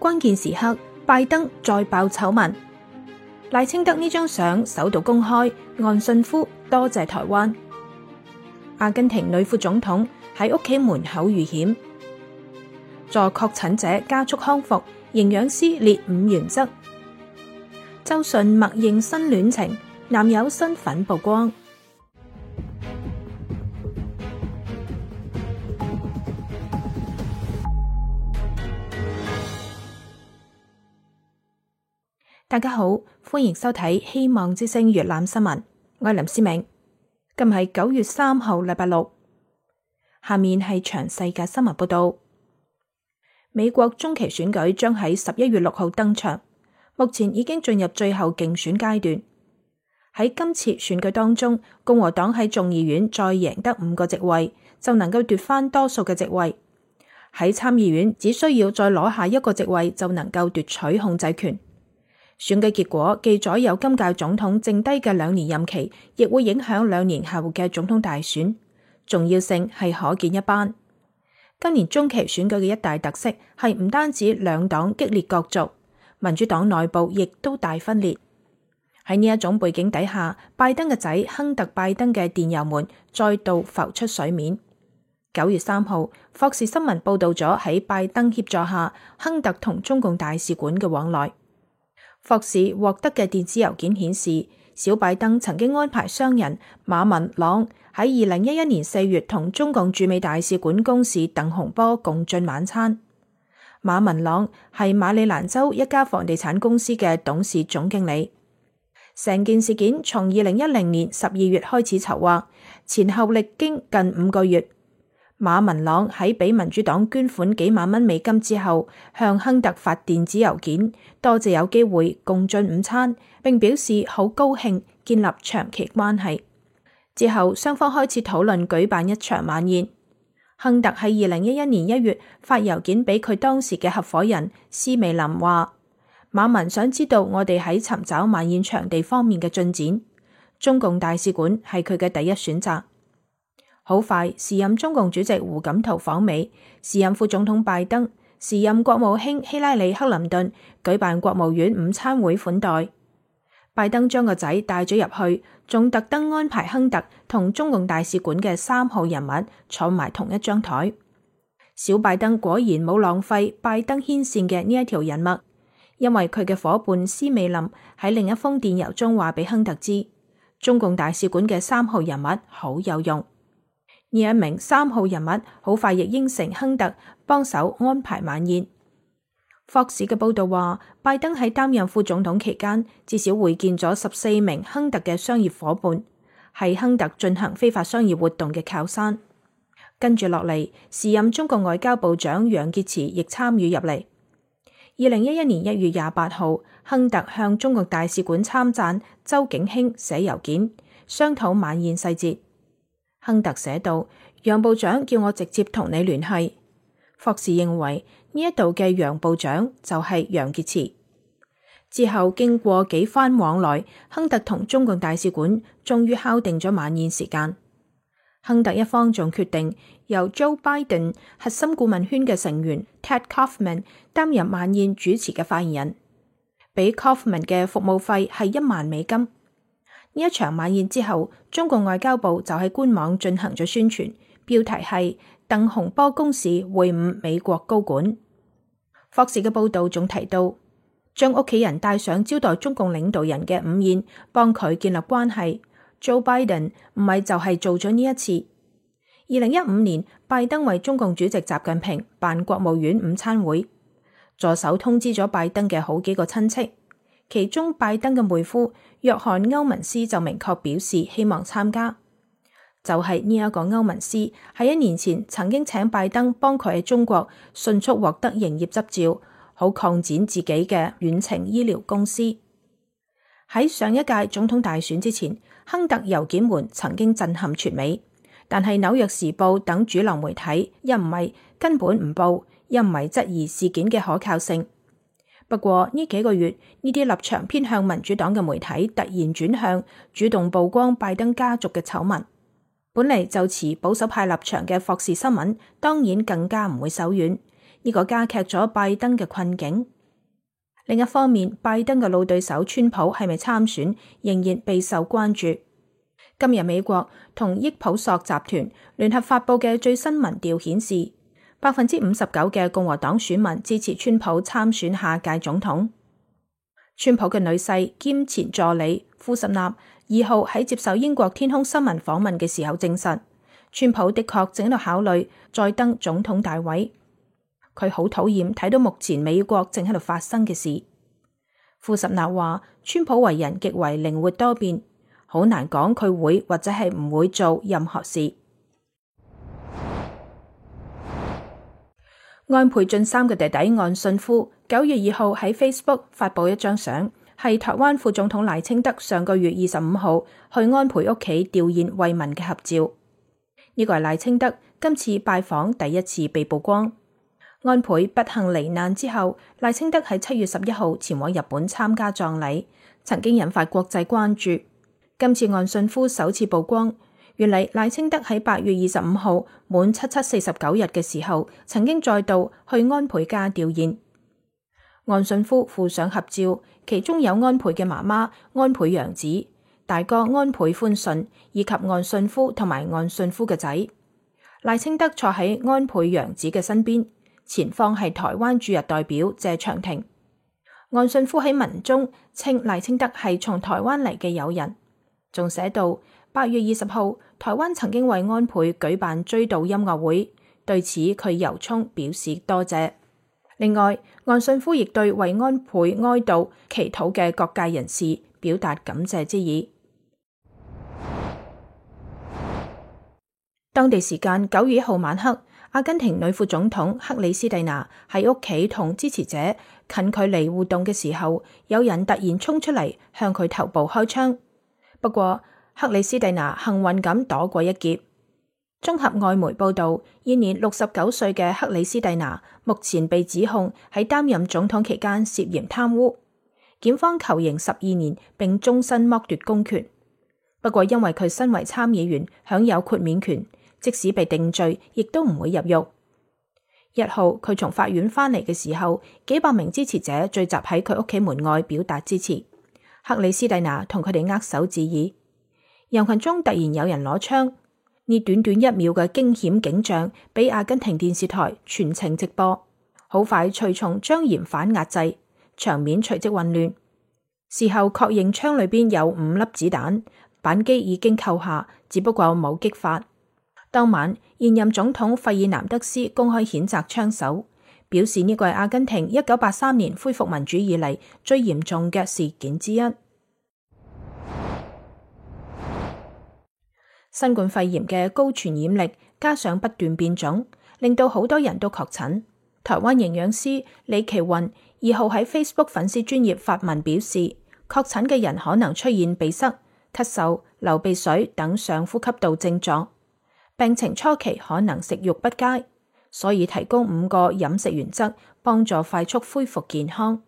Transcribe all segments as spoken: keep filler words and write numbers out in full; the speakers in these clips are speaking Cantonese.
關鍵時刻，拜登再爆醜聞。賴清德呢張相首度公開，岸信夫多謝台灣。阿根廷女副總統喺屋企門口遇險。助確診者加速康復，營養師列五原則。周迅默認新戀情，男友身份曝光。大家好，歡迎收睇《希望之聲》粵覽新聞，我係林思明。今日係九月三號，禮拜六。下面係詳細嘅新聞報道。美國中期選舉將喺十一月六號登場，目前已經進入最後競選階段。喺今次選舉當中，共和黨喺眾議院再贏得五個席位，就能夠奪翻多數嘅席位。喺參議院只需要再攞下一個席位，就能夠奪取控制權。選舉結果既左右今屆總統剩低嘅兩年任期，亦會影響兩年後嘅總統大選，重要性係可見一斑。今年中期選舉嘅一大特色係唔單止兩黨激烈角逐，民主黨內部亦都大分裂。喺呢一種背景底下，拜登嘅仔亨特拜登嘅電郵門再度浮出水面。九月三號，霍士新聞報道咗喺拜登協助下，亨特同中共大使館嘅往來。霍士獲得嘅電子郵件顯示，小拜登曾經安排商人馬文朗喺二零一一年四月同中共駐美大使館公使鄧洪波共進晚餐。馬文朗係馬里蘭州一家房地產公司嘅董事總經理。成件事件從二零一零年十二月開始籌劃，前後歷經近五個月。馬文朗喺俾民主黨捐款幾萬蚊美金之後，向亨特發電子郵件，多謝有機會共進午餐，並表示好高興建立長期關係。之後雙方開始討論舉辦一場晚宴。亨特喺二零一一年一月發郵件俾佢當時嘅合夥人施美林話，馬文想知道我哋喺尋找晚宴場地方面嘅進展，中共大使館係佢嘅第一選擇。好快，時任中共主席胡錦濤訪美，時任副總統拜登、時任國務卿希拉里克林頓舉辦國務院午餐會款待。拜登將個仔帶咗入去，仲特登安排亨特同中共大使館嘅三號人物坐埋同一張台。小拜登果然冇浪費拜登牽線嘅呢一條人脈，因為佢嘅夥伴施美林喺另一封電郵中話俾亨特知，中共大使館嘅三號人物好有用。呢一名三號人物好快亦應承亨特幫手安排晚宴。霍士嘅報道話，拜登喺擔任副總統期間，至少會見咗十四名亨特嘅商業夥伴，係亨特進行非法商業活動嘅靠山。跟住落嚟，時任中國外交部長楊潔篪亦參與入嚟。二零一一年一月廿八號，亨特向中國大使館參贊周景興寫郵件，商討晚宴細節。亨特寫道，楊部長叫我直接同你聯繫。霍士認為呢一度嘅楊部長就係楊潔篪。之後經過幾番往來，亨特同中共大使館終於敲定咗晚宴時間。亨特一方仲決定由 Joe Biden 核心顧問圈嘅成員 Ted Kaufman 擔任晚宴主持嘅發言人，俾 Kaufman 嘅服務費係一萬美金。呢一場晚宴之後，中共外交部就喺官網進行咗宣傳，標題係鄧洪波公使會晤美國高管。霍士嘅報道仲提到，將屋企人帶上招待中共領導人嘅午宴，幫佢建立關係。Joe Biden 唔係就係做咗呢一次。二零一五年，拜登為中共主席習近平辦國務院午餐會，助手通知咗拜登嘅好幾個親戚。其中拜登嘅妹夫約翰歐文斯就明確表示希望參加，就係呢一個歐文斯喺一年前曾經請拜登幫佢喺中國迅速獲得營業執照，好擴展自己嘅遠程醫療公司。喺上一屆總統大選之前，亨特郵件門曾經震撼全美，但係紐約時報等主流媒體一唔係根本唔報，一唔係質疑事件嘅可靠性。不過呢幾個月，呢啲立場偏向民主黨嘅媒體突然轉向，主動曝光拜登家族嘅醜聞。本嚟就持保守派立場嘅霍士新聞，當然更加唔會手軟，呢個加劇咗拜登嘅困境。另一方面，拜登嘅老對手川普係咪參選，仍然備受關注。今日美國同益普索集團聯合發佈嘅最新民調顯示，百分之五十九嘅共和黨選民支持川普參選下屆總統。川普嘅女婿兼前助理庫什納二號喺接受英國天空新聞訪問嘅時候證實，川普的確正喺度考慮再登總統大位。佢好討厭睇到目前美國正喺度發生嘅事。庫什納話，川普為人極為靈活多變，好難講佢會或者係唔會做任何事。安倍晉三嘅弟弟岸信夫九月二號喺 Facebook 發佈一張相，係台灣副總統賴清德上個月二十五號去安倍屋企弔唁慰問嘅合照。呢個係賴清德今次拜訪第一次被曝光。安倍不幸罹難之後，賴清德喺七月十一號前往日本參加葬禮，曾經引發國際關注。今次岸信夫首次曝光，原嚟賴清德喺八月二十五號滿七七四十九日嘅時候，曾經再度去安倍家弔唁。岸信夫附上合照，其中有安倍嘅媽媽安倍洋子、大哥安倍寬信以及岸信夫同埋岸信夫嘅仔。賴清德坐喺安倍洋子嘅身邊，前方係台灣駐日代表謝長廷。岸信夫喺文中稱賴清德係從台灣嚟嘅友人，仲寫到八月二十號，台灣曾經為安倍舉辦追悼音樂會，對此佢由衷表示多謝。另外，岸信夫亦對為安倍哀悼祈禱嘅各界人士表達感謝之意。當地時間九月一號晚黑，阿根廷女副總統克里斯蒂娜喺屋企同支持者近距離互動嘅時候，有人突然衝出嚟向佢頭部開槍。不過克里斯蒂娜幸運咁躲過一劫。綜合外媒報道，現年六十九歲嘅克里斯蒂娜目前被指控喺擔任總統期間涉嫌貪污，檢方求刑十二年並終身剝奪公權。不過因為佢身為參議員享有豁免權，即使被定罪，亦都唔會入獄。一號佢從法院返嚟嘅時候，幾百名支持者聚集喺佢屋企門外表達支持。克里斯蒂娜同佢哋握手致意。人群中突然有人攞槍，呢短短一秒嘅驚險景象俾阿根廷電視台全程直播，好快隨從將嫌犯壓制，場面隨即混亂。事後確認槍裏邊有五粒子彈，扳機已經扣下，只不過冇擊發。當晚，現任總統費爾南德斯公開譴責槍手，表示呢個係阿根廷一九八三年恢復民主以嚟最嚴重嘅事件之一。新冠肺炎嘅高傳染力加上不斷變種，令到好多人都確診。台灣營養師李奇雲二號喺 Facebook 粉絲專頁發文表示，確診嘅人可能出現鼻塞、咳嗽、流鼻水等上呼吸道症狀，病情初期可能食慾不佳，所以提供五個飲食原則，幫助快速恢復健康。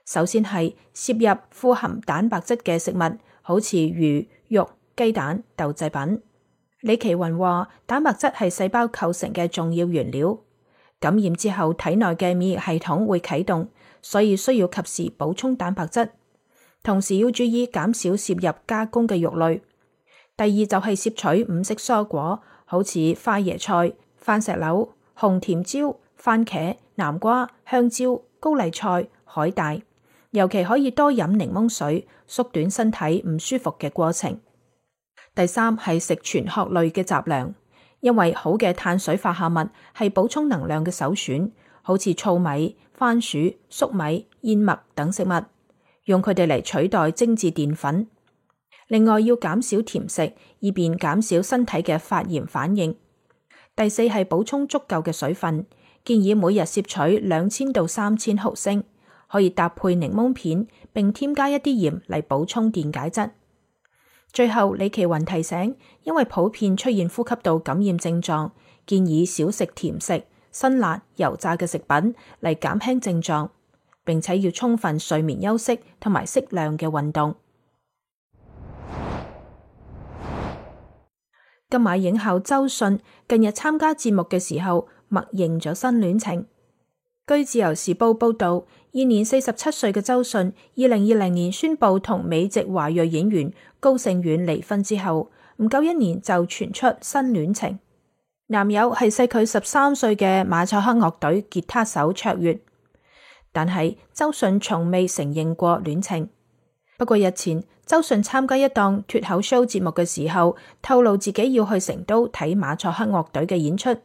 首先係攝入富含蛋白質嘅食物，好似魚、肉、雞蛋、豆製品。李奇雲話，蛋白質係細胞構成嘅重要原料，感染之後體內嘅免疫系統會啟動，所以需要及時補充蛋白質。同時要注意減少攝入加工嘅肉類。第二就係攝取五色蔬果，好似花椰菜、番石榴、紅甜椒、番茄、南瓜、香蕉、高麗菜、海帶，尤其可以多飲檸檬水，縮短身體唔舒服嘅過程。第三係食全殼類嘅雜糧，因為好嘅碳水化合物係補充能量嘅首選，好似糙米、番薯、粟米、燕麥等食物，用佢哋嚟取代精緻澱粉。另外要減少甜食，以便減少身體嘅發炎反應。第四係補充足夠嘅水分，建議每日攝取兩千到三千毫升，可以搭配檸檬片，並添加一啲鹽嚟補充電解質。最後，李奇雲提醒，因為普遍出現呼吸道感染症狀，建議少食甜食、辛辣、油炸嘅食品嚟減輕症狀，並且要充分睡眠休息同埋適量嘅運動。金馬影后周迅近日參加節目嘅時候，默認咗新戀情。據自由時報報道，現年四十七歲嘅周迅，二零二零年宣布同美籍華裔演員高勝遠離婚之後，唔夠一年就傳出新戀情，男友係細佢十三歲嘅馬賽克樂隊吉他手卓越。但係周迅從未承認過戀情。不過日前，周迅參加一檔脫口 show 節目嘅時候，透露自己要去成都睇馬賽克樂隊嘅演出。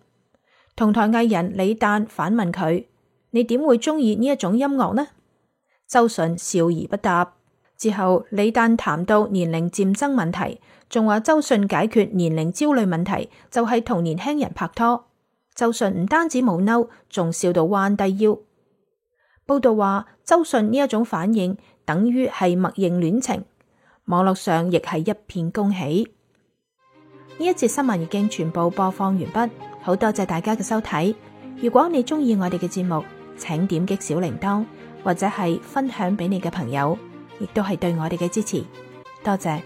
同台藝人李誕反問佢：你點會中意呢一種音樂呢？周迅笑而不答。之後李誕談到年齡漸增問題，仲話周迅解決年齡焦慮問題就係同年輕人拍拖。周迅唔單止冇嬲，仲笑到彎低腰。報道話周迅呢一種反應等於係默認戀情，網絡上亦係一片恭喜。呢一節新聞已經全部播放完畢，好多謝大家嘅收睇。如果你中意我哋嘅節目，請點擊小鈴鐺或者係分享俾你嘅朋友，亦都係對我哋嘅支持。多謝。